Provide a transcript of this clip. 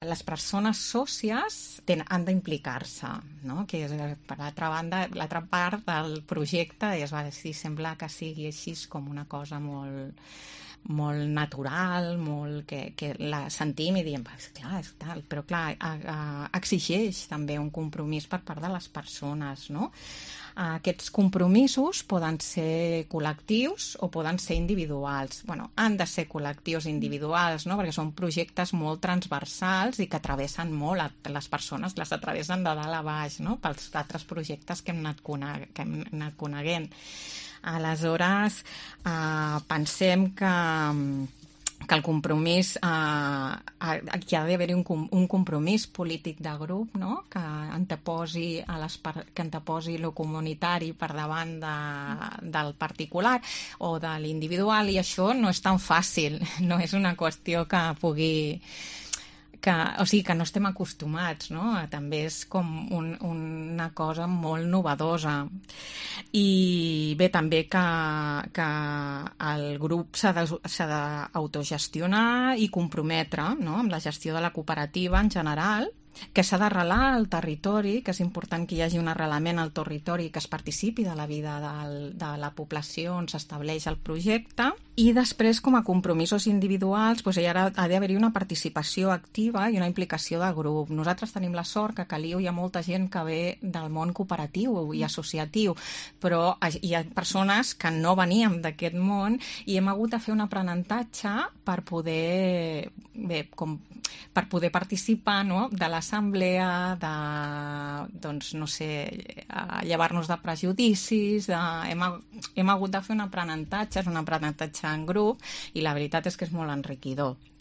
Les persones sòcies han d'implicar-se, no? Que és, per l'altra banda, l'altra part del projecte és, si sembla que sigui així com una cosa molt natural, molt que la sentim i diem, clar, és tal, però clar, exigeix també un compromís per part de les persones, no? Aquests compromisos poden ser col·lectius o poden ser individuals. Bueno, han de ser col·lectius individuals, no? Perquè són projectes molt transversals i que travessen molt les persones, les atravessen de dalt a baix, no? Pels altres projectes que hem anat coneguent. Aleshores, pensem que el compromís, aquí ha d'haver-hi un compromís polític de grup, no? Que anteposi el comunitari per davant del particular o de l'individual, i això no és tan fàcil, no és una qüestió que pugui... o sigui, que no estem acostumats, no? També és com una cosa molt novedosa. I bé, també que el grup s'ha d'autogestionar i comprometre, no? Amb la gestió de la cooperativa en general, que s'ha d'arrelar al territori, que és important que hi hagi un arrelament al territori, que es participi de la vida de la població on s'estableix el projecte, i després, com a compromisos individuals, doncs ha d'haver-hi una participació activa i una implicació de grup. Nosaltres tenim la sort que a Caliu hi ha molta gent que ve del món cooperatiu i associatiu, però hi ha persones que no veníem d'aquest món i hem hagut de fer un aprenentatge per poder participar, no? De l'assemblea, doncs, no sé, llevar-nos de prejudicis, hem hagut de fer un aprenentatge, és un aprenentatge en grup, i la veritat és que és molt enriquidor.